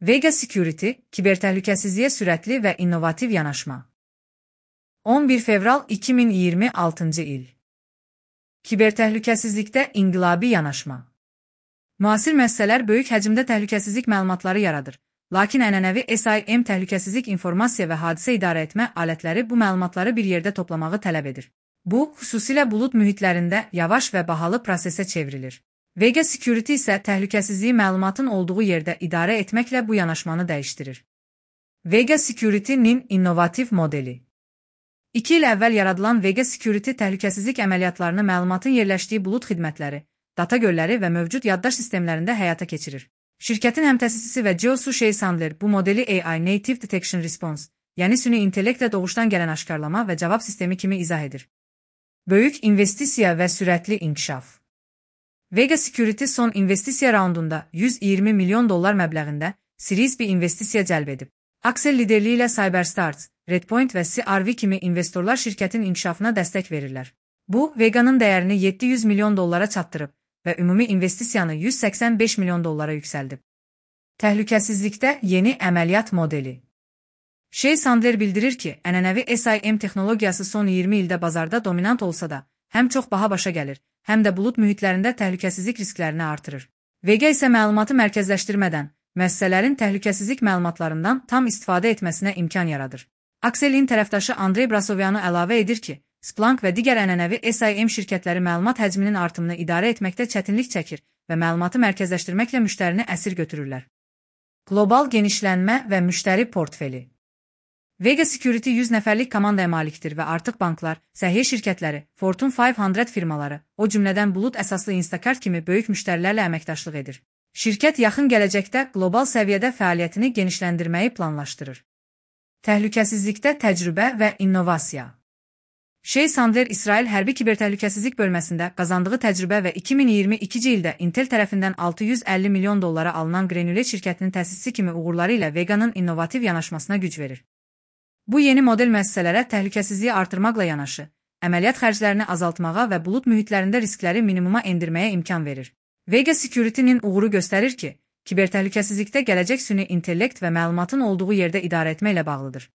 Vega Security, kibertəhlükəsizliyə sürətli və innovativ yanaşma. 11 fevral 2026 il. Kibertəhlükəsizlikdə inqilabi yanaşma. Müasir müəssisələr böyük həcmdə təhlükəsizlik məlumatları yaradır, lakin ənənəvi SIM təhlükəsizlik informasiya və hadisə idarə etmə alətləri bu məlumatları bir yerdə toplamağı tələb edir. Bu, xüsusilə bulud mühitlərində yavaş və bahalı prosesə çevrilir. Vega Security isə təhlükəsizliyi məlumatın olduğu yerdə idarə etməklə bu yanaşmanı dəyişdirir. Vega Security-nin innovativ modeli. 2 il əvvəl yaradılan Vega Security təhlükəsizlik əməliyyatlarını məlumatın yerləşdiyi bulud xidmətləri, data gölləri və mövcud yaddaş sistemlərində həyata keçirir. Şirkətin həmtəsisisi və CEO Shay Sandler bu modeli AI Native Detection Response, yəni süni intellektlə doğuşdan gələn aşkarlama və cavab sistemi kimi izah edir. Böyük investisiya və sürətli inkişaf. Vega Security son investisiya raundunda $120 milyon məbləğində Series B investisiya cəlb edib. Axel liderliyi ilə CyberStars, Redpoint və CRV kimi investorlar şirkətin inkişafına dəstək verirlər. Bu, Vega'nın dəyərini $700 milyon çatdırıb və ümumi investisiyanı $185 milyon yüksəldib. Təhlükəsizlikdə yeni əməliyyat modeli. Shay Sandler bildirir ki, ənənəvi SIM texnologiyası son 20 ildə bazarda dominant olsa da, həm çox baha başa gəlir, həm də bulud mühitlərində təhlükəsizlik risklərini artırır. Vega isə məlumatı mərkəzləşdirmədən, müəssisələrin təhlükəsizlik məlumatlarından tam istifadə etməsinə imkan yaradır. Axel'in tərəfdaşı Andrey Brasovyanı əlavə edir ki, Splunk və digər ənənəvi SIM şirkətləri məlumat həcminin artımını idarə etməkdə çətinlik çəkir və məlumatı mərkəzləşdirməklə müştərini əsir götürürlər. Qlobal genişlənmə və müştəri portfeli. Vega Security 100 nəfərlik komandaya malikdir və artıq banklar, səhiyyə şirkətləri, Fortune 500 firmaları, o cümlədən bulud əsaslı Instacart kimi böyük müştərilərlə əməkdaşlıq edir. Şirkət yaxın gələcəkdə qlobal səviyyədə fəaliyyətini genişləndirməyi planlaşdırır. Təhlükəsizlikdə təcrübə və innovasiya. Shay Sandler İsrail Hərbi Kibertəhlükəsizlik bölməsində qazandığı təcrübə və 2022-ci ildə Intel tərəfindən $650 milyon alınan Granulet şirkətinin təsisçisi kimi uğurları ilə Vega'nın innovativ yanaşmasına güc verir. Bu yeni model müəssisələrə təhlükəsizliyi artırmaqla yanaşı, əməliyyat xərclərini azaltmağa və bulud mühitlərində riskləri minimuma endirməyə imkan verir. Vega Security-nin uğuru göstərir ki, kibertəhlükəsizlikdə gələcək süni intellekt və məlumatın olduğu yerdə idarə etməklə bağlıdır.